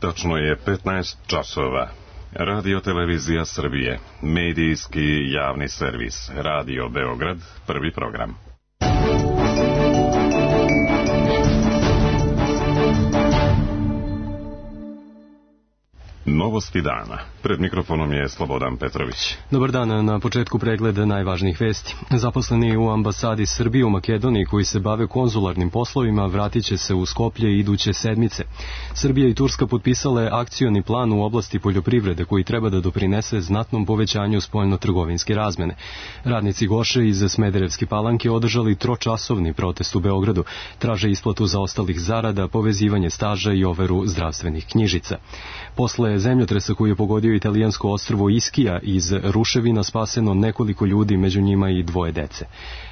Tačno je 15 časova. Radio Televizija Srbije, medijski javni servis, Radio Beograd, prvi program. Novosti dana. Pred mikrofonom je Slobodan Petrović. Dobar dan, na početku pregleda najvažnijih vesti. Zaposleni u ambasadi Srbije u Makedoniji koji se bave konzularnim poslovima vratit će se u Skoplje iduće sedmice. Srbija i Turska potpisale akcioni plan u oblasti poljoprivrede koji treba da doprinese znatnom povećanju spoljno-trgovinske razmene. Radnici Goše iz Smederevske Palanke održali tročasovni protest u Beogradu. Traže isplatu zaostalih zarada, povezivanje staža i overu zdravstvenih knjižica. Posle zemljotresa koji je pogodio italijansko ostrvo Iskija, iz ruševina spaseno nekoliko ljudi, među njima i 2 dece.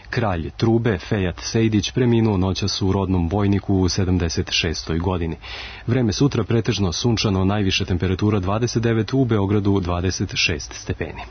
Kralj Trube, Fejat Sejdić, preminuo noćas u rodnom Vojniku u 76. godini. Vreme sutra pretežno sunčano, najviša temperatura 29, u Beogradu 26 stepeni.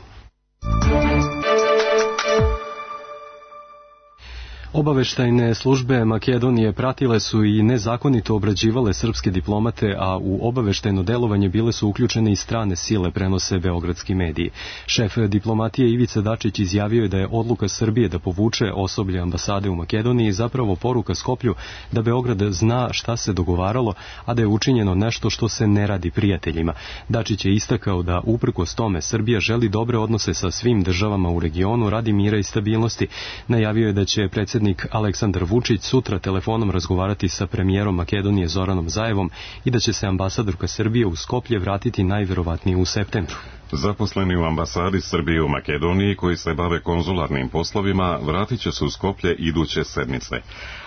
Obaveštajne službe Makedonije pratile su i nezakonito obrađivale srpske diplomate, a u obaveštajno delovanje bile su uključene i strane sile, prenose beogradski mediji. Šef diplomatije Ivica Dačić izjavio je da je odluka Srbije da povuče osoblje ambasade u Makedoniji zapravo poruka Skoplju da Beograd zna šta se dogovaralo, a da je učinjeno nešto što se ne radi prijateljima. Dačić je istakao da uprkos tome Srbija želi dobre odnose sa svim državama u regionu radi mira i stabilnosti. Najavio je da će predsjednik Aleksandar Vučić sutra telefonom razgovarati sa premijerom Makedonije Zoranom Zaevom i da će se ambasadorka Srbije u Skoplje vratiti najverovatnije u septembru. Zaposleni u ambasadi Srbije u Makedoniji koji se bave konzularnim poslovima vratit će se u Skoplje iduće sedmice.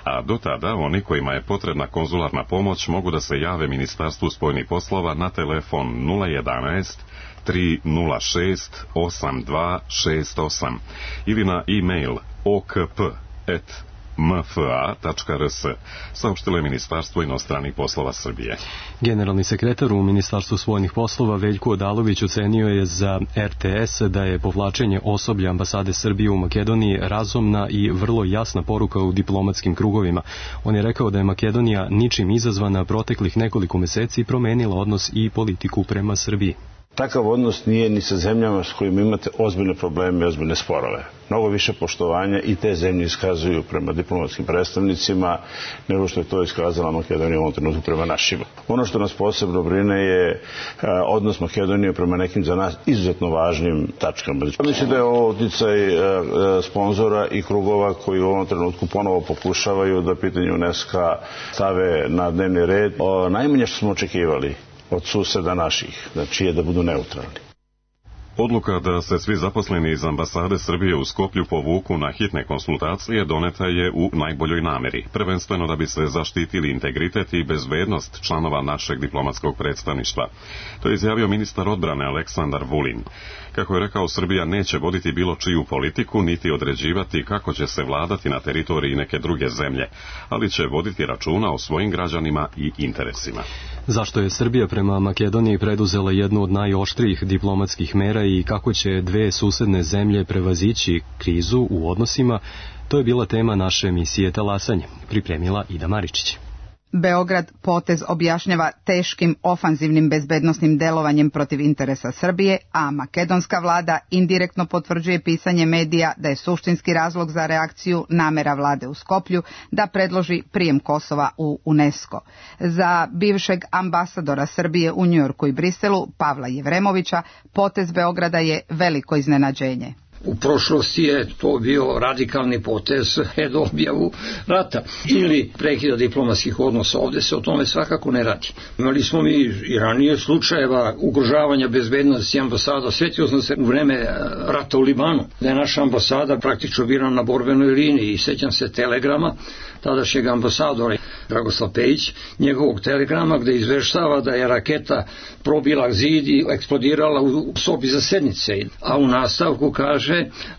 A do tada oni kojima je potrebna konzularna pomoć mogu da se jave Ministarstvu spoljnih poslova na telefon 011 306 8268 ili na e-mail okp@mfa.rs, saopštilo je Ministarstvo inostranih poslova Srbije. Generalni sekretar u Ministarstvu spoljnih poslova Veljko Odalović ocenio je za RTS da je povlačenje osoblja ambasade Srbije u Makedoniji razumna i vrlo jasna poruka u diplomatskim krugovima. On je rekao da je Makedonija ničim izazvana proteklih nekoliko meseci promenila odnos i politiku prema Srbiji. Takav odnos nije ni sa zemljama s kojima imate ozbiljne probleme i ozbiljne sporove. Mnogo više poštovanja i te zemlje iskazuju prema diplomatskim predstavnicima nego što je to iskazala Makedonija u ovom trenutku prema našima. Ono što nas posebno brine je odnos Makedonije prema nekim za nas izuzetno važnim tačkama. Mislim da je ovo uticaj sponzora i krugova koji u ovom trenutku ponovo pokušavaju da pitanje UNESCO stave na dnevni red. Najmanje što smo očekivali od suseda naših, znači je da budu neutralni. Odluka da se svi zaposleni iz ambasade Srbije u Skoplju povuku na hitne konsultacije doneta je u najboljoj nameri, prvenstveno da bi se zaštitili integritet i bezbednost članova našeg diplomatskog predstavništva. To je izjavio ministar odbrane Aleksandar Vulin. Kako je rekao, Srbija neće voditi bilo čiju politiku, niti određivati kako će se vladati na teritoriji neke druge zemlje, ali će voditi računa o svojim građanima i interesima. Zašto je Srbija prema Makedoniji preduzela jednu od najoštrijih diplomatskih mera i kako će dve susedne zemlje prevazići krizu u odnosima, to je bila tema naše emisije Talasanje, pripremila Ida Maričić. Beograd potez objašnjava teškim ofanzivnim bezbednosnim delovanjem protiv interesa Srbije, a makedonska vlada indirektno potvrđuje pisanje medija da je suštinski razlog za reakciju namera vlade u Skoplju da predloži prijem Kosova u UNESCO. Za bivšeg ambasadora Srbije u Njujorku i Briselu, Pavla Jevremovića, potez Beograda je veliko iznenađenje. U prošlosti je to bio radikalni potez pred objavu rata ili prekida diplomatskih odnosa. Ovdje se o tome svakako ne radi. Imali smo mi i ranije slučajeva ugrožavanja bezbednosti ambasada. Sjetio sam se u vreme rata u Libanu da je naša ambasada praktično bila na borbenoj liniji i sjećam se telegrama tadašnjeg ambasadora Dragoslav Pejić, njegovog telegrama gde izveštava da je raketa probila zid i eksplodirala u sobi za sednice. A u nastavku kaže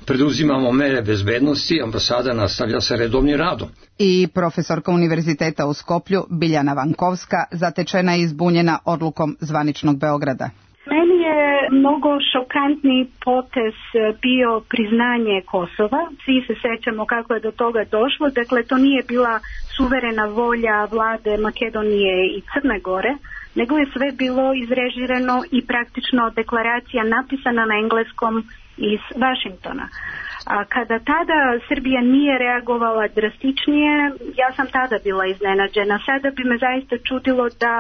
preduzimamo mere bezbednosti, ambasada nastavlja sa redovnim radom. I profesorka univerziteta u Skoplju Biljana Vankovska zatečena i izbunjena odlukom zvaničnog Beograda. Meni je mnogo šokantni potez bio priznanje Kosova. Svi se sećamo kako je do toga došlo. Dakle, to nije bila suverena volja vlade Makedonije i Crne Gore, nego je sve bilo izrežirano i praktično deklaracija napisana na engleskom iz Vašingtona. A kada tada Srbija nije reagovala drastičnije, ja sam tada bila iznenađena. Sada bi me zaista čudilo da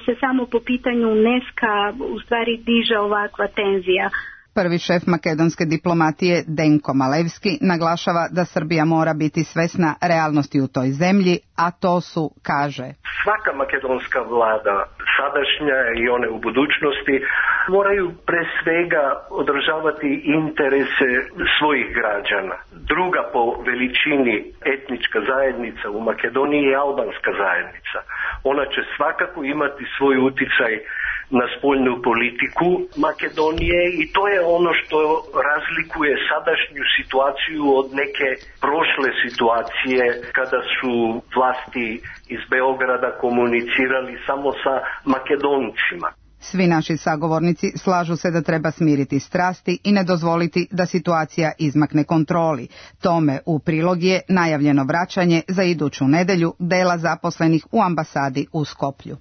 se samo po pitanju UNESCO u stvari diže ovakva tenzija. Prvi šef makedonske diplomatije Denko Malevski naglašava da Srbija mora biti svesna realnosti u toj zemlji, a to su, kaže, svaka makedonska vlada, sadašnja i one u budućnosti, moraju pre svega održavati interese svojih građana. Druga po veličini etnička zajednica u Makedoniji je albanska zajednica. Ona će svakako imati svoj uticaj na spoljnu politiku Makedonije i to je ono što razlikuje sadašnju situaciju od neke prošle situacije kada su vlasti iz Beograda komunicirali samo sa Makedoncima. Svi naši sagovornici slažu se da treba smiriti strasti i ne dozvoliti da situacija izmakne kontroli. Tome u prilog je najavljeno vraćanje za iduću nedelju dela zaposlenih u ambasadi u Skoplju.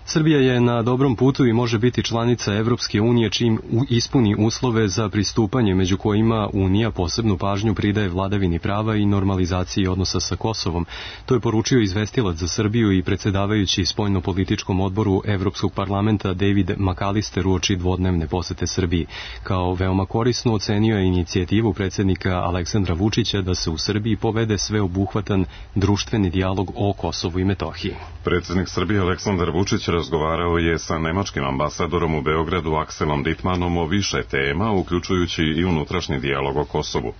Srbija je na dobrom putu i može biti članica Evropske unije čim ispuni uslove za pristupanje, među kojima Unija posebnu pažnju pridaje vladavini prava i normalizaciji odnosa sa Kosovom. To je poručio izvestilac za Srbiju i predsjedavajući spoljnopolitičkom odboru Evropskog parlamenta David McAllister uoči dvodnevne posete Srbiji. Kao veoma korisno ocenio je inicijativu predsjednika Aleksandra Vučića da se u Srbiji povede sveobuhvatan društveni dijalog o Kosovu i Metohiji. Predsjednik Srbije Aleksandar Vučić razgovarao je sa nemačkim ambasadorom u Beogradu Akselom Dittmanom o više tema, uključujući i unutrašnji dijalog o Kosovu.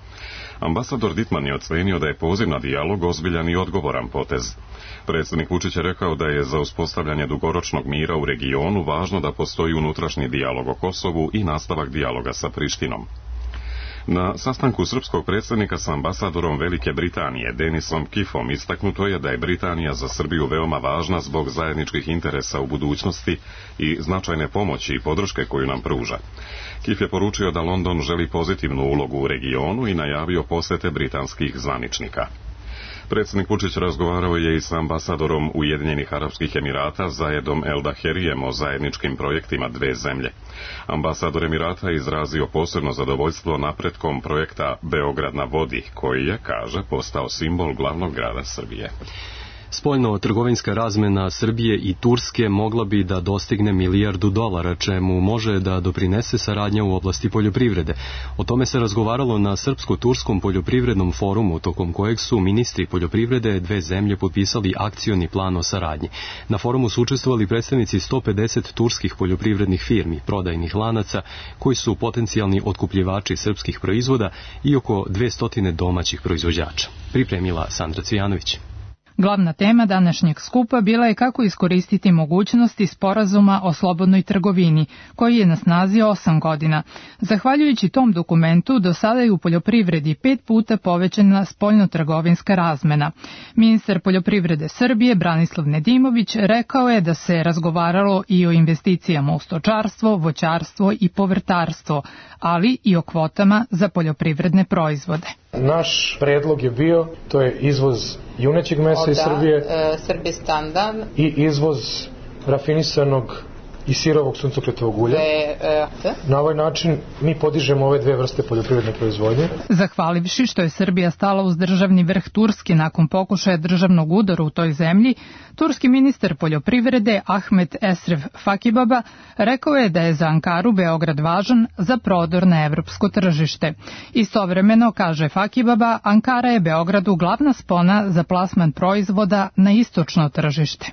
Ambasador Dittman je ocenio da je poziv na dijalog ozbiljan i odgovoran potez. Predsjednik Vučić je rekao da je za uspostavljanje dugoročnog mira u regionu važno da postoji unutrašnji dijalog o Kosovu i nastavak dijaloga sa Prištinom. Na sastanku srpskog predsjednika sa ambasadorom Velike Britanije Denisom Kifom istaknuto je da je Britanija za Srbiju veoma važna zbog zajedničkih interesa u budućnosti i značajne pomoći i podrške koju nam pruža. Kif je poručio da London želi pozitivnu ulogu u regionu i najavio posete britanskih zvaničnika. Predsjednik Vučić razgovarao je i sa ambasadorom Ujedinjenih Arapskih Emirata Zayedom El Daherijem o zajedničkim projektima dve zemlje. Ambasador Emirata je izrazio posebno zadovoljstvo napretkom projekta Beograd na vodi, koji je, kaže, postao simbol glavnog grada Srbije. Spoljno-trgovinska razmena Srbije i Turske mogla bi da dostigne $1 milijardu, čemu može da doprinese saradnja u oblasti poljoprivrede. O tome se razgovaralo na Srpsko-turskom poljoprivrednom forumu, tokom kojeg su ministri poljoprivrede dve zemlje potpisali akcioni plan o saradnji. Na forumu su učestvovali predstavnici 150 turskih poljoprivrednih firmi, prodajnih lanaca, koji su potencijalni otkupljivači srpskih proizvoda i oko 200 domaćih proizvođača. Pripremila Sandra Cvijanović. Glavna tema današnjeg skupa bila je kako iskoristiti mogućnosti sporazuma o slobodnoj trgovini, koji je na snazi 8 godina. Zahvaljujući tom dokumentu, do sada je u poljoprivredi 5 puta povećana spoljno-trgovinska razmena. Ministar poljoprivrede Srbije, Branislav Nedimović, rekao je da se razgovaralo i o investicijama u stočarstvo, voćarstvo i povrtarstvo, ali i o kvotama za poljoprivredne proizvode. Naš predlog je bio, to je izvoz junećeg mesa iz Srbije i izvoz rafinisanog i sirovog suncokretovog ulja. Na ovaj način mi podižemo ove dve vrste poljoprivredne proizvodnje. Zahvalivši što je Srbija stala uz državni vrh Turske nakon pokušaja državnog udara u toj zemlji, turski ministar poljoprivrede Ahmet Esref Fakibaba rekao je da je za Ankaru Beograd važan za prodor na evropsko tržište. Istovremeno, kaže Fakibaba, Ankara je Beogradu glavna spona za plasman proizvoda na istočno tržište.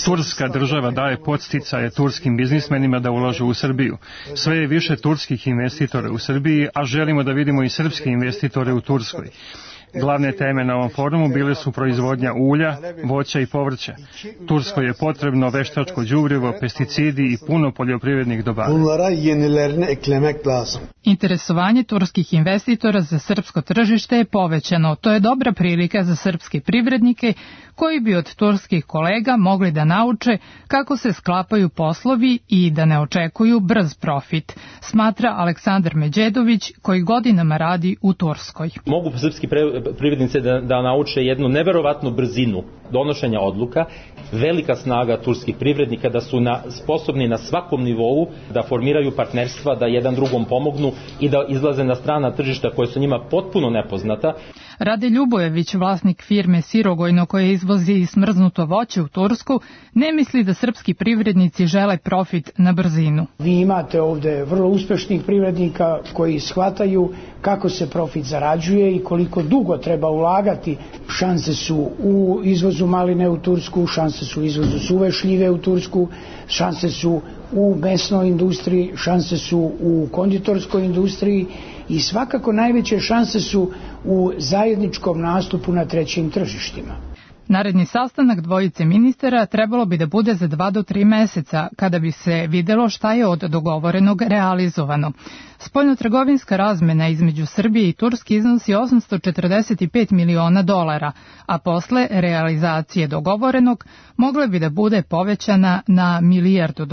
Turska država daje podsticaje turskim biznismenima da ulažu u Srbiju. Sve je više turskih investitora u Srbiji, a želimo da vidimo i srpske investitore u Turskoj. Glavne teme na ovom forumu bile su proizvodnja ulja, voća i povrća. Turskoj je potrebno veštačko đubrivo, pesticidi i puno poljoprivrednih dobara. Interesovanje turskih investitora za srpsko tržište je povećano. To je dobra prilika za srpske privrednike koji bi od turskih kolega mogli da nauče kako se sklapaju poslovi i da ne očekuju brz profit, smatra Aleksandar Međedović koji godinama radi u Turskoj. Mogu srpski privrednice da nauče jednu neverovatnu brzinu donošenja odluka, velika snaga turskih privrednika da su sposobni na svakom nivou da formiraju partnerstva, da jedan drugom pomognu i da izlaze na strana tržišta koje su njima potpuno nepoznata. Rade Ljubojević, vlasnik firme Sirogojno koje izvozi smrznuto voće u Tursku, ne misli da srpski privrednici žele profit na brzinu. Vi imate ovde vrlo uspešnih privrednika koji shvataju kako se profit zarađuje i koliko dugo treba ulagati. Šanse su u izvozu maline u Tursku, šanse su u izvozu suve šljive u Tursku, šanse su u mesnoj industriji, šanse su u konditorskoj industriji i svakako najveće šanse su u zajedničkom nastupu na trećim tržištima. Naredni sastanak dvojice ministara trebalo bi da bude za 2 do 3 meseca, kada bi se videlo šta je od dogovorenog realizovano. Spoljnotrgovinska razmena između Srbije i Turske iznosi $845 miliona, a posle realizacije dogovorenog mogla bi da bude povećana na $1 milijardu.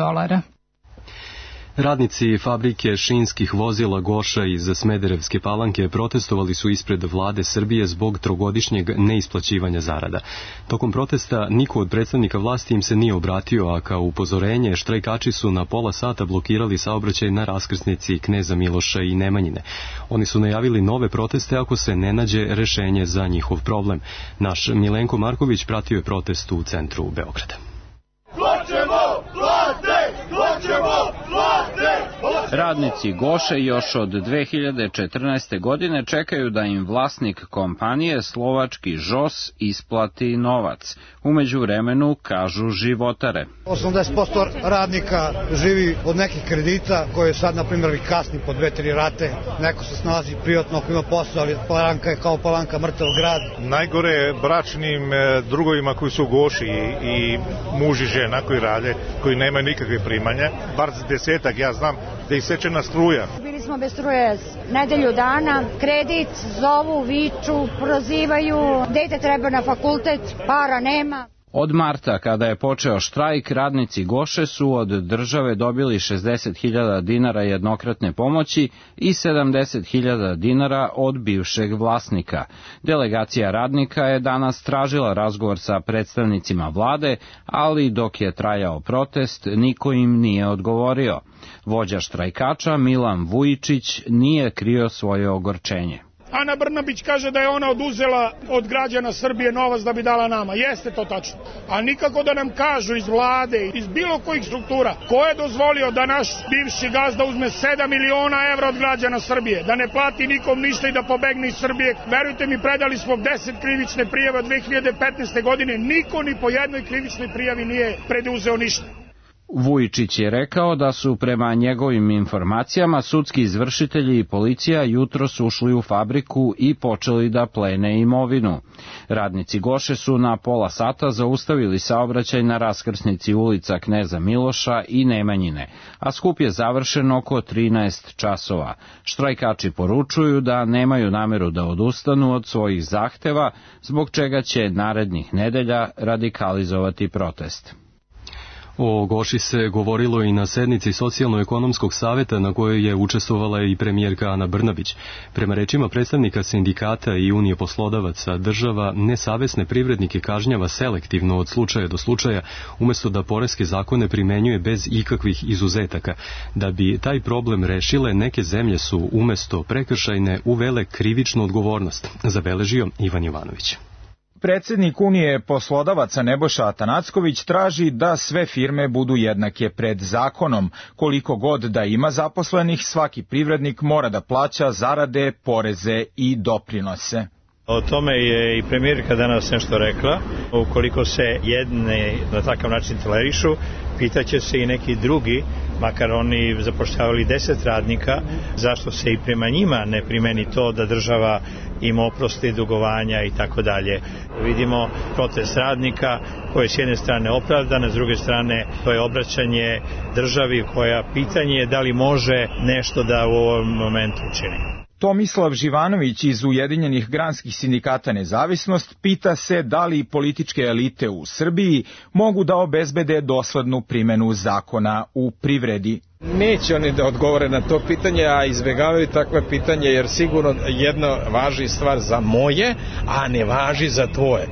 Radnici fabrike šinskih vozila Goša iz Smederevske Palanke protestovali su ispred vlade Srbije zbog trogodišnjeg neisplaćivanja zarada. Tokom protesta niko od predstavnika vlasti im se nije obratio, a kao upozorenje štrajkači su na pola sata blokirali saobraćaj na raskrsnici Kneza Miloša i Nemanjine. Oni su najavili nove proteste ako se ne nađe rešenje za njihov problem. Naš Milenko Marković pratio je protest u centru Beograda. Radnici Goše još od 2014. godine čekaju da im vlasnik kompanije slovački ŽOS isplati novac. U međuvremenu, kažu životare. 80% radnika živi od nekih kredita koje sad, na primjer, kasni po 2-3 rate. Neko se snalazi privatno ako ima posao, ali Palanka je kao Palanka mrtav grad. Najgore je bračnim drugovima koji su u Goši i muž i žena koji rade, koji nemaju nikakve primanja. Bar 10, ja znam da ih sečena struja. Bili smo bez struje nedelju dana, kredit, zovu, viču, prozivaju, dete treba na fakultet, para nema. Od marta, kada je počeo štrajk, radnici Goše su od države dobili 60.000 dinara jednokratne pomoći i 70.000 dinara od bivšeg vlasnika. Delegacija radnika je danas tražila razgovor sa predstavnicima vlade, ali dok je trajao protest, niko im nije odgovorio. Vođa štrajkača Milan Vujičić nije krio svoje ogorčenje. Ana Brnabić kaže da je ona oduzela od građana Srbije novac da bi dala nama. Jeste to tačno. A nikako da nam kažu iz vlade, iz bilo kojih struktura, ko je dozvolio da naš bivši gazda uzme 7 miliona evra od građana Srbije, da ne plati nikom ništa i da pobegne iz Srbije. Verujte mi, predali smo 10 krivične prijave od 2015. godine. Niko ni po jednoj krivičnoj prijavi nije preduzeo ništa. Vujičić je rekao da su prema njegovim informacijama sudski izvršitelji i policija jutros ušli u fabriku i počeli da plene imovinu. Radnici Goše su na pola sata zaustavili saobraćaj na raskrsnici ulica Kneza Miloša i Nemanjine, a skup je završen oko 13 časova. Štrajkači poručuju da nemaju nameru da odustanu od svojih zahteva, zbog čega će narednih nedelja radikalizovati protest. O Goši se govorilo i na sednici Socijalno-ekonomskog saveta na kojoj je učestvovala i premijerka Ana Brnabić. Prema rečima predstavnika sindikata i Unije poslodavaca, država nesavesne privrednike kažnjava selektivno od slučaja do slučaja, umesto da poreske zakone primenjuje bez ikakvih izuzetaka. Da bi taj problem rešile, neke zemlje su umesto prekršajne uvele krivičnu odgovornost, zabeležio Ivan Jovanović. Predsednik Unije poslodavaca Nebojša Atanacković traži da sve firme budu jednake pred zakonom. Koliko god da ima zaposlenih, svaki privrednik mora da plaća zarade, poreze i doprinose. O tome je i premijerka danas nešto rekla. Ukoliko se jedne na takav način tolerišu, pitaće se i neki drugi, makar oni zapošljavali 10 radnika, zašto se i prema njima ne primeni to da država im oprosti dugovanja i tako dalje. Vidimo protest radnika koji je s jedne strane opravdan, a s druge strane to je obraćanje državi koja pitanje je da li može nešto da u ovom momentu učini. Tomislav Živanović iz Ujedinjenih granskih sindikata Nezavisnost pita se da li političke elite u Srbiji mogu da obezbede doslednu primenu zakona u privredi. Neće oni da odgovore na to pitanje, a izbjegavaju takve pitanje jer sigurno jedno važi stvar za moje, a ne važi za tvoje.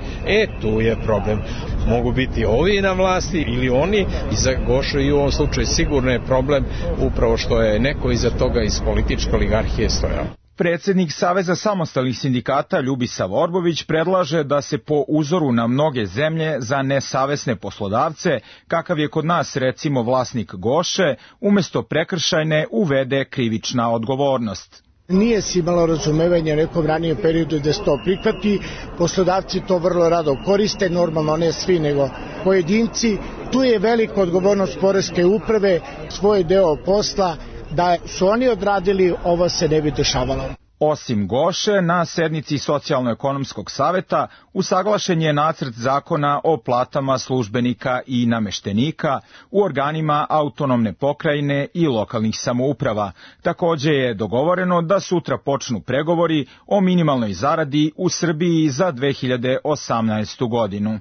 Tu je problem. Mogu biti ovi na vlasti ili oni, i za Gošu i u ovom slučaju sigurno je problem upravo što je neko iza toga iz političke oligarhije stojao. Predsjednik Saveza samostalnih sindikata Ljubisav Orbović predlaže da se po uzoru na mnoge zemlje za nesavesne poslodavce, kakav je kod nas recimo vlasnik Goše, umjesto prekršajne uvede krivična odgovornost. Nije se imalo razumevanja u nekom ranijem periodu da se to prihvati, poslodavci to vrlo rado koriste, normalno ne svi nego pojedinci. Tu je velika odgovornost poreske uprave, svoj deo posla, da su oni odradili, ovo se ne bi dešavalo. Osim Goše, na sednici Socijalno-ekonomskog saveta usaglašen je nacrt zakona o platama službenika i nameštenika u organima autonomne pokrajine i lokalnih samouprava. Također je dogovoreno da sutra počnu pregovori o minimalnoj zaradi u Srbiji za 2018. godinu.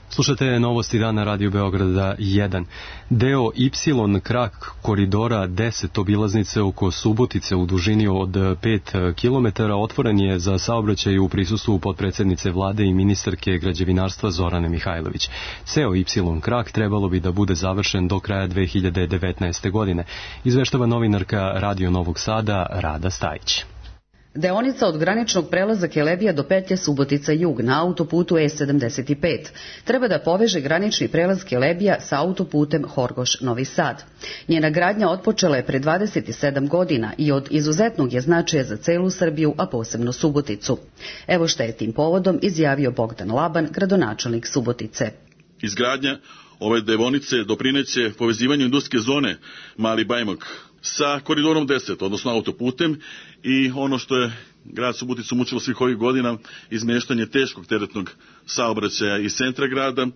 Slušate novosti dana Radio Beograda 1. Deo Y krak koridora 10 obilaznice oko Subotice u dužini od 5 km otvoren je za saobraćaj u prisustvu potpredsjednice vlade i ministarke građevinarstva Zorane Mihajlović. Ceo Y krak trebalo bi da bude završen do kraja 2019. godine, izveštava novinarka Radio Novog Sada Rada Stajić. Deonica od graničnog prelaza Kelebija do petlje Subotica Jug na autoputu E75 treba da poveže granični prelaz Kelebija sa autoputem Horgoš-Novi Sad. Njena gradnja otpočela je pre 27 godina i od izuzetnog je značaja za celu Srbiju, a posebno Suboticu. Evo šta je tim povodom izjavio Bogdan Laban, gradonačelnik Subotice. Izgradnja ove deonice doprineće povezivanju industrijske zone Mali Bajmok sa koridorom 10, odnosno autoputem, i ono što je grad Suboticu mučilo svih ovih godina, izmeštanje teškog teretnog saobraćaja iz centra grada.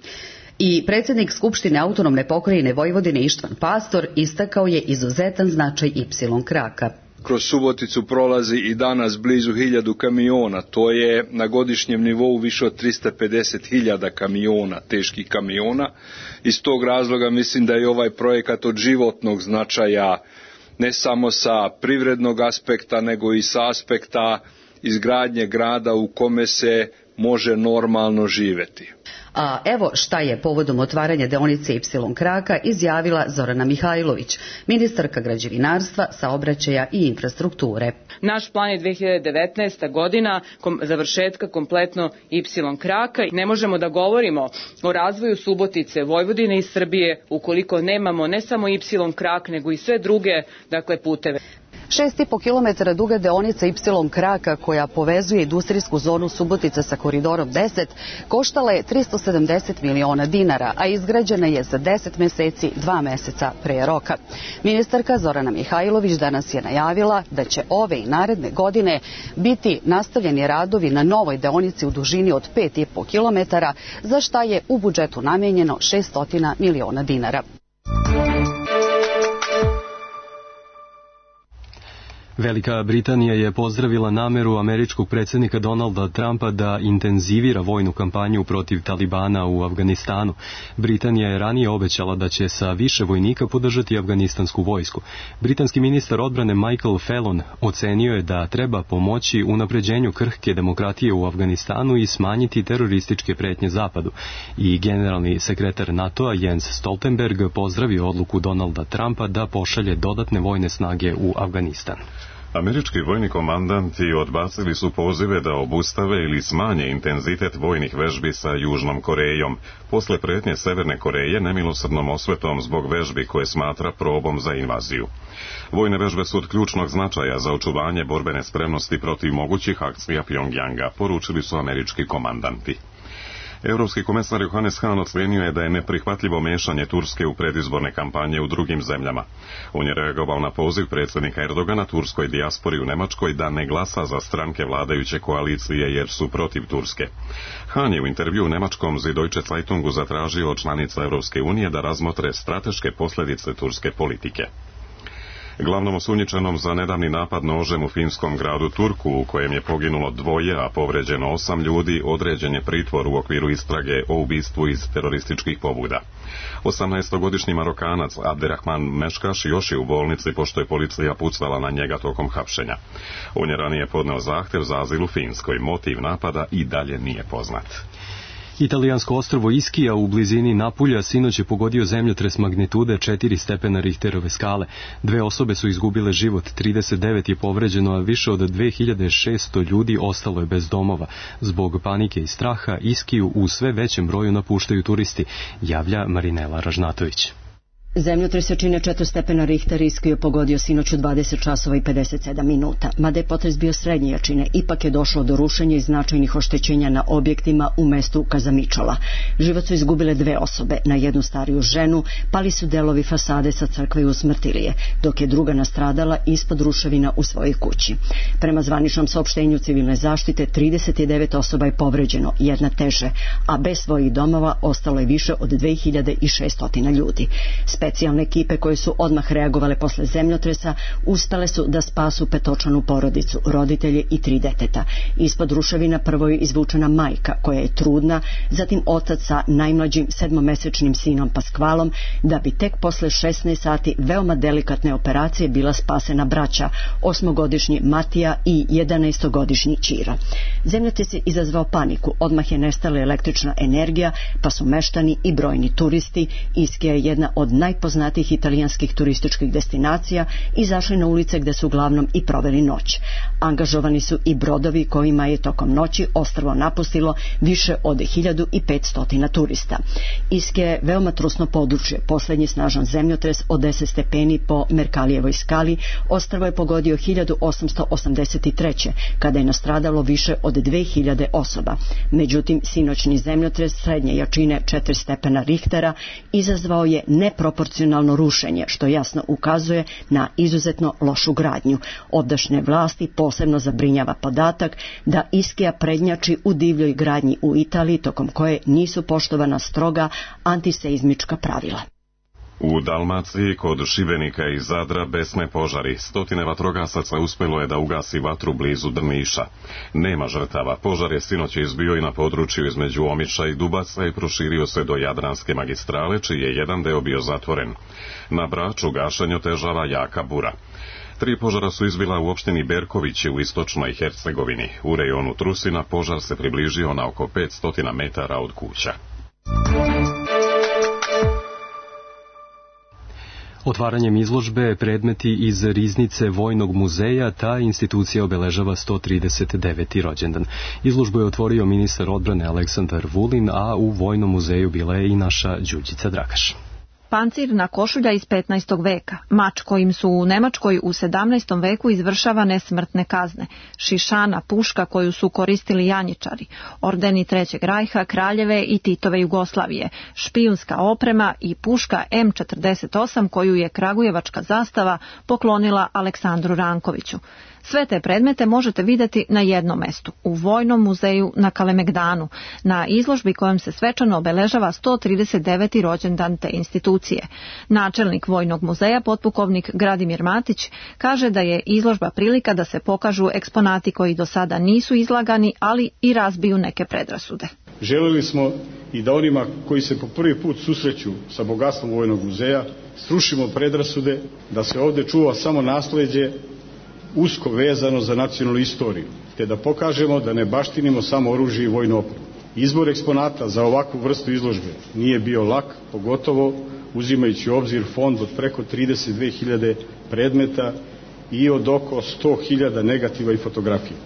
I predsjednik Skupštine autonomne pokrajine Vojvodine Ištvan Pastor istakao je izuzetan značaj Y kraka. Kroz Suboticu prolazi i danas blizu 1000 kamiona, to je na godišnjem nivou više od 350.000 kamiona, teških kamiona. Iz tog razloga mislim da je ovaj projekat od životnog značaja, ne samo sa privrednog aspekta, nego i sa aspekta izgradnje grada u kome se može normalno živjeti. A evo šta je povodom otvaranja deonice Y kraka izjavila Zorana Mihajlović, ministarka građevinarstva, saobraćaja i infrastrukture. Naš plan je 2019. godina završetka kompletno Y kraka. Ne možemo da govorimo o razvoju Subotice, Vojvodine i Srbije ukoliko nemamo ne samo Y krak nego i sve druge puteve. 6,5 km duga deonica Y kraka koja povezuje industrijsku zonu Subotica sa koridorom 10 koštala je 370 miliona dinara, a izgrađena je za 10 meseci, 2 meseca pre roka. Ministarka Zorana Mihajlović danas je najavila da će ove i naredne godine biti nastavljeni radovi na novoj deonici u dužini od 5,5 km, za šta je u budžetu namenjeno 600 miliona dinara. Velika Britanija je pozdravila nameru američkog predsjednika Donalda Trumpa da intenzivira vojnu kampanju protiv Talibana u Afganistanu. Britanija je ranije obećala da će sa više vojnika podržati afganistansku vojsku. Britanski ministar odbrane Michael Fallon ocenio je da treba pomoći unapređenju krhke demokratije u Afganistanu i smanjiti terorističke pretnje zapadu. I generalni sekretar NATO-a Jens Stoltenberg pozdravio odluku Donalda Trumpa da pošalje dodatne vojne snage u Afganistan. Američki vojni komandanti odbacili su pozive da obustave ili smanje intenzitet vojnih vežbi sa Južnom Korejom, posle pretnje Severne Koreje nemilosrdnom osvetom zbog vežbi koje smatra probom za invaziju. Vojne vežbe su od ključnog značaja za očuvanje borbene spremnosti protiv mogućih akcija Pjongjanga, poručili su američki komandanti. Europski komesar Johannes Hahn ocenio je da je neprihvatljivo mešanje Turske u predizborne kampanje u drugim zemljama. On je reagovao na poziv predsjednika Erdogana turskoj dijaspori u Nemačkoj da ne glasa za stranke vladajuće koalicije jer su protiv Turske. Hahn je u intervju u nemačkom Süddeutsche Zeitungu zatražio od članica Europske unije da razmotre strateške posljedice turske politike. Glavnom osumnjičenom za nedavni napad nožem u finskom gradu Turku, u kojem je poginulo 2, a povređeno 8 ljudi, određen je pritvor u okviru istrage o ubistvu iz terorističkih pobuda. 18-godišnji Marokanac Abderrahman Meškaš još je u bolnici pošto je policija pucala na njega tokom hapšenja. On je ranije podneo zahtev za azil u Finskoj. Motiv napada i dalje nije poznat. Italijansko ostrvo Ischia u blizini Napulja sinoć je pogodio zemljotres magnitude 4 stepena Richterove skale. 2 osobe su izgubile život, 39 je povređeno, a više od 2600 ljudi ostalo je bez domova. Zbog panike i straha Ischiju u sve većem broju napuštaju turisti, javlja Marinela Ražnatović. Zemljotres jačine 4 stepena Richter Ischiju je pogodio sinoć u 20 časova i 57 minuta. Mada je potres bio srednje jačine, ipak je došlo do rušenja i značajnih oštećenja na objektima u mestu Kazamičola. Život su izgubile 2 osobe, na jednu stariju ženu pali su delovi fasade sa crkve i usmrtili je, dok je druga nastradala ispod ruševina u svojoj kući. Prema zvaničnom saopštenju civilne zaštite 39 osoba je povređeno, jedna teže, a bez svojih domova ostalo je više od 2600 ljudi. Specijalne ekipe koje su odmah reagovale posle zemljotresa ustale su da spasu petočlanu porodicu, roditelje i 3 deteta. Ispod ruševina prvo je izvučena majka koja je trudna, zatim otac sa najmlađim 7-mesečnim sinom Paskvalom, da bi tek posle 16 sati veoma delikatne operacije bila spasena braća, 8-godišnji Matija i 11-godišnji Ćira. Zemljotres je izazvao paniku, odmah je nestala električna energija, pa su meštani i brojni turisti, Ischia je jedna od najpoznatijih italijanskih turističkih destinacija, izašli na ulice gde su uglavnom i proveli noć. Angažovani su i brodovi kojima je tokom noći ostrvo napustilo više od 1500 turista. Ischia je veoma trusno područje. Poslednji snažan zemljotres od 10 stepeni po Merkalijevoj skali ostrvo je pogodio 1883. kada je nastradalo više od 2000 osoba. Međutim, sinoćni zemljotres srednje jačine 4 stepena Richtera izazvao je neproporcionalno rušenje, što jasno ukazuje na izuzetno lošu gradnju. Ovdašnje vlasti posebno zabrinjava podatak da Ischia prednjači u divljoj gradnji u Italiji, tokom koje nisu poštovana stroga antiseizmička pravila. U Dalmaciji kod Šibenika i Zadra besne požari. 100 vatrogasaca uspjelo je da ugasi vatru blizu Drniša. Nema žrtava. Požar je sinoć izbio i na području između Omiša i Dubaca i proširio se do Jadranske magistrale, čiji je jedan deo bio zatvoren. Na Braču gašenje otežava jaka bura. 3 požara su izbila u opštini Berkovići u istočnoj Hercegovini. U rejonu Trusina požar se približio na oko 500 metara od kuća. Otvaranjem izložbe predmeti iz riznice Vojnog muzeja ta institucija obeležava 139. rođendan. Izložbu je otvorio ministar odbrane Aleksandar Vulin, a u Vojnom muzeju bila je i naša Đurđica Dragaš. Pancirna košulja iz 15. veka, mač kojim su u Nemačkoj u 17. veku izvršavane smrtne kazne, šišana, puška koju su koristili janjičari, ordeni Trećeg rajha, kraljeve i Titove Jugoslavije, špijunska oprema i puška M48 koju je kragujevačka zastava poklonila Aleksandru Rankoviću. Sve te predmete možete vidjeti na jednom mestu, u Vojnom muzeju na Kalemegdanu, na izložbi kojom se svečano obeležava 139. rođendan te institucije. Načelnik Vojnog muzeja, potpukovnik Gradimir Matić, kaže da je izložba prilika da se pokažu eksponati koji do sada nisu izlagani, ali i razbiju neke predrasude. Želeli smo i da onima koji se po prvi put susreću sa bogatstvom Vojnog muzeja srušimo predrasude, da se ovdje čuva samo nasleđe usko vezano za nacionalnu istoriju, te da pokažemo da ne baštinimo samo oružje i vojnu opremu. Izbor eksponata za ovakvu vrstu izložbe nije bio lak, pogotovo uzimajući u obzir fond od preko 32.000 predmeta i od oko 100.000 negativa i fotografija.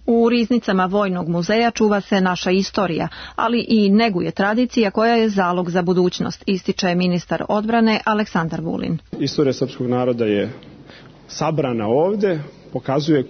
U riznicama Vojnog muzeja čuva se naša istorija, ali i neguje tradicija koja je zalog za budućnost, ističe ministar odbrane Aleksandar Vulin. Istorija srpskog naroda je sabrana ovde, pokazuje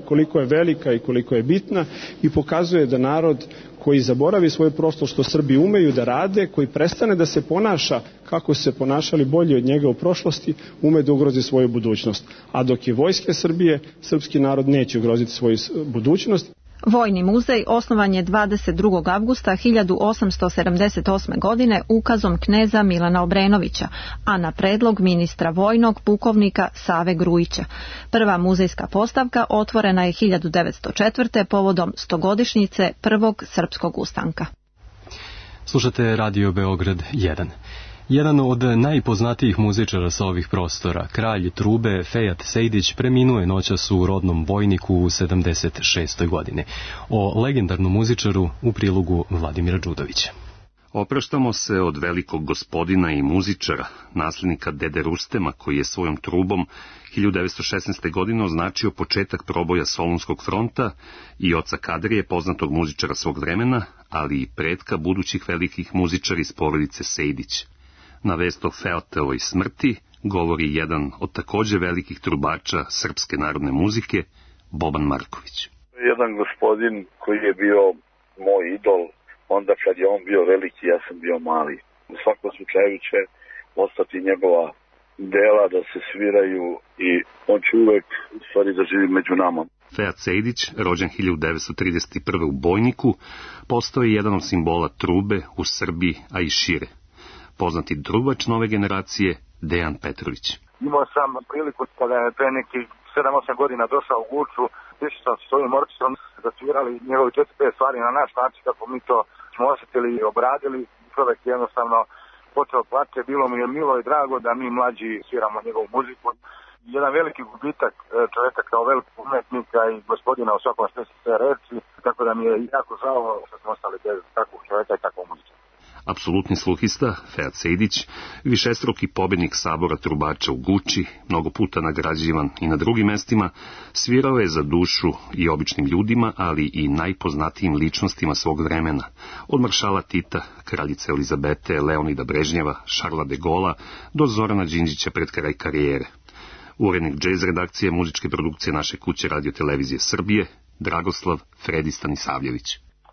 koliko je velika i koliko je bitna i pokazuje da narod koji zaboravi svoje prošlost, što Srbi umeju da rade, koji prestane da se ponaša kako su se ponašali bolje od njega u prošlosti, ume da ugrozi svoju budućnost. A dok je vojske Srbije, srpski narod neće ugroziti svoju budućnost. Vojni muzej osnovan je 22. avgusta 1878. godine ukazom kneza Milana Obrenovića, a na predlog ministra vojnog pukovnika Save Grujića. Prva muzejska postavka otvorena je 1904. povodom 100-godišnjice prvog srpskog ustanka. Slušate Radio Beograd 1. Jedan od najpoznatijih muzičara sa ovih prostora, kralj trube Fejat Sejdić, preminuo je noćas u rodnom Bojniku u 76. godine. O legendarnom muzičaru u prilogu Vladimira Đudovića. Opraštamo se od velikog gospodina i muzičara, naslednika dede Rustema, koji je svojom trubom 1916. godine označio početak proboja Solunskog fronta, i oca Kadrije, poznatog muzičara svog vremena, ali i pretka budućih velikih muzičara iz porodice Sejdić. Na vest o Fejatovoj smrti govori jedan od takođe velikih trubača srpske narodne muzike, Boban Marković. Jedan gospodin koji je bio moj idol, onda kad je on bio veliki, ja sam bio mali. U svakom slučaju će ostati njegova dela da se sviraju i on će uvek u stvari da živi među nama. Fejat Sejdić, rođen 1931. u Bojniku, postao je jedan od simbola trube u Srbiji, a i šire. Poznati trubač nove generacije, Dejan Petrović. Imao sam priliku kada je pre nekih 7-8 godina došao u Guču, išao sam s ovim orkestrom, zasvirali njegovi 4-5 stvari na naš način kako mi to smo osjetili i obradili. Čovjek jednostavno počeo plače, bilo mi je milo i drago da mi mlađi sviramo njegovu muziku. Jedan veliki gubitak čovjeka kao velikog umetnika i gospodina u svakom smislu sve reči, tako da mi je jako žao što smo ostali bez takvog čovjeka i takvog muzika. Apsolutni sluhista, Fejat Sejdić, višestruki pobednik sabora trubača u Guči, mnogo puta nagrađivan i na drugim mestima, svirao je za dušu i običnim ljudima, ali i najpoznatijim ličnostima svog vremena, od maršala Tita, kraljice Elizabete, Leonida Brežnjeva, Šarla de Gola, do Zorana Đinđića pred kraj karijere. Urednik džez redakcije muzičke produkcije naše kuće Radio Televizije Srbije, Dragoslav Fredi Stanisavljević.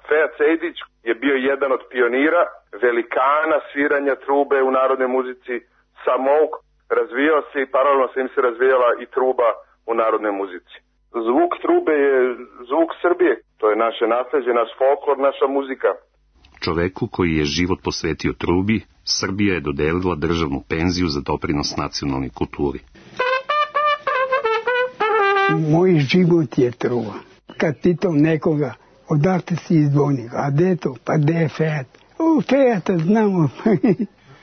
Fejat Sejdić je bio jedan od pionira, velikana sviranja trube u narodnoj muzici, samouk, razvijao se i paralelno sa njim se razvijala i truba u narodnoj muzici. Zvuk trube je zvuk Srbije, to je naše nasleđe, naš folklor, naša muzika. Čoveku koji je život posvetio trubi, Srbija je dodelila državnu penziju za doprinos nacionalnoj kulturi. Moj život je truba. Kad pitam nekoga, odakle si iz Bojnika, a gde to? Pa gde je Fejat? Fejata znamo.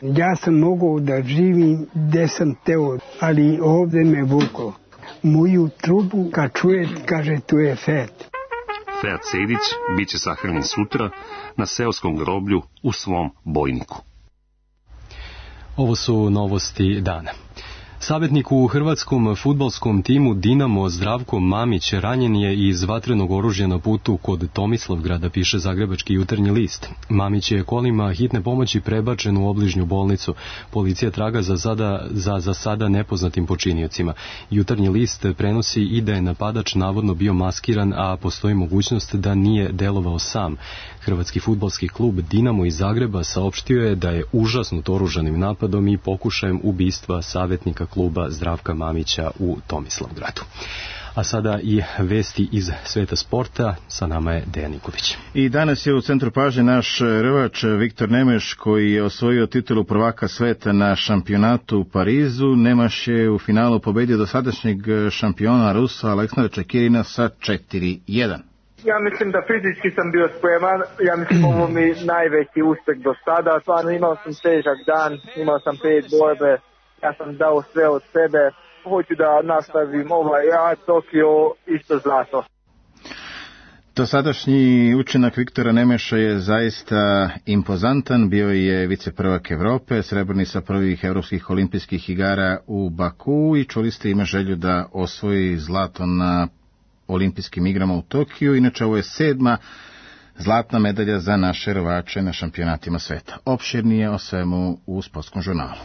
Ja sam mogao da živim gde sam teo, ali ovde me vuklo. Moju trubu kad čuje, kaže tu je Fejat. Fejat Sejdić biće sahranjen sutra na seoskom groblju u svom Bojniku. Ovo su novosti dana. Savjetnik u hrvatskom fudbalskom timu Dinamo Zdravko Mamić ranjen je iz vatrenog oružja na putu kod Tomislavgrada, piše Zagrebački jutarnji list. Mamić je kolima hitne pomoći prebačen u obližnju bolnicu. Policija traga za sada nepoznatim počiniocima. Jutarnji list prenosi i da je napadač navodno bio maskiran, a postoji mogućnost da nije delovao sam. Hrvatski fudbalski klub Dinamo iz Zagreba saopštio je da je užasnut oružanim napadom i pokušajem ubistva savjetnika kluba Zdravka Mamića u Tomislavgradu. A sada i vesti iz sveta sporta, sa nama je Dejan Nikolić. I danas je u centru pažnje naš rvač Viktor Nemeš, koji je osvojio titulu prvaka sveta na šampionatu u Parizu. Nemaš je u finalu pobedio dosadašnjeg šampiona Rusa Aleksandra Čekirina sa 4-1. Ja mislim da fizički sam bio spreman, ja mislim ovo mi najveći uspeh do sada, stvarno imao sam težak dan, imao sam 5 borbe, ja sam dao sve od sebe, hoću da nastavim Tokio isto zlato. Dosadašnji učinak Viktora Nemeša je zaista impozantan, bio je viceprvak Evrope, srebrni sa prvih evropskih olimpijskih igara u Baku i čuli ste ima želju da osvoji zlato na olimpijskim igrama u Tokiju. Inače, ovo je 7. zlatna medalja za naše rvače na šampionatima sveta. Opširnije o svemu u Sportskom žurnalu.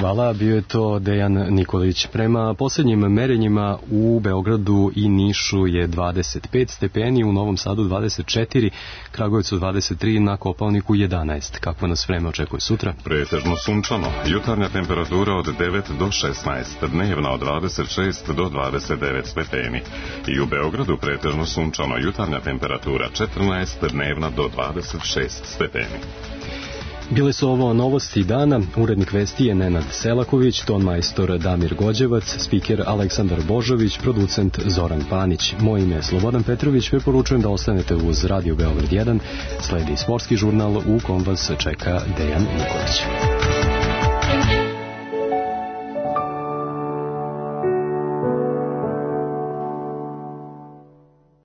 Hvala, bio je to Dejan Nikolić. Prema posljednjim merenjima u Beogradu i Nišu je 25 stepeni, u Novom Sadu 24, Kragujevcu 23, na Kopaoniku 11. Kakva nas vreme očekuje sutra? Pretežno sunčano, jutarnja temperatura od 9 do 16, dnevna od 26 do 29 stepeni. I u Beogradu pretežno sunčano, jutarnja temperatura 14, dnevna do 26 stepeni. Bile su ovo novosti dana, urednik vesti je Nenad Selaković, ton majstor Damir Gođevac, spiker Aleksandar Božović, producent Zoran Panić. Moje ime je Slobodan Petrović, preporučujem da ostanete uz Radio Beograd 1, sledi sportski žurnal u kom vas čeka Dejan Nikolić.